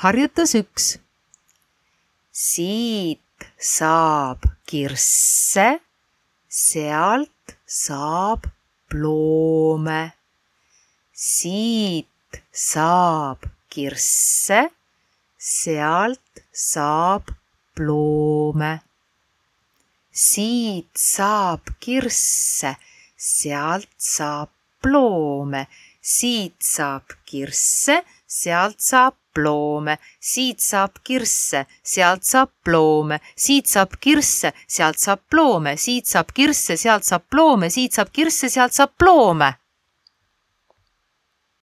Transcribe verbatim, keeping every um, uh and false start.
Harjutus üks. Siit saab kirsse, sealt saab ploome. Siit saab kirsse, sealt saab ploome. Siit saab kirsse, sealt saab ploome. Siit saab kirsse, sealt saab ploome. Siit saab kirsse, sealt saab ploome. Siit saab kirsse, sealt saab ploome. Siit saab kirsse, sealt saab ploome. Siit saab kirsse, sealt saab ploome.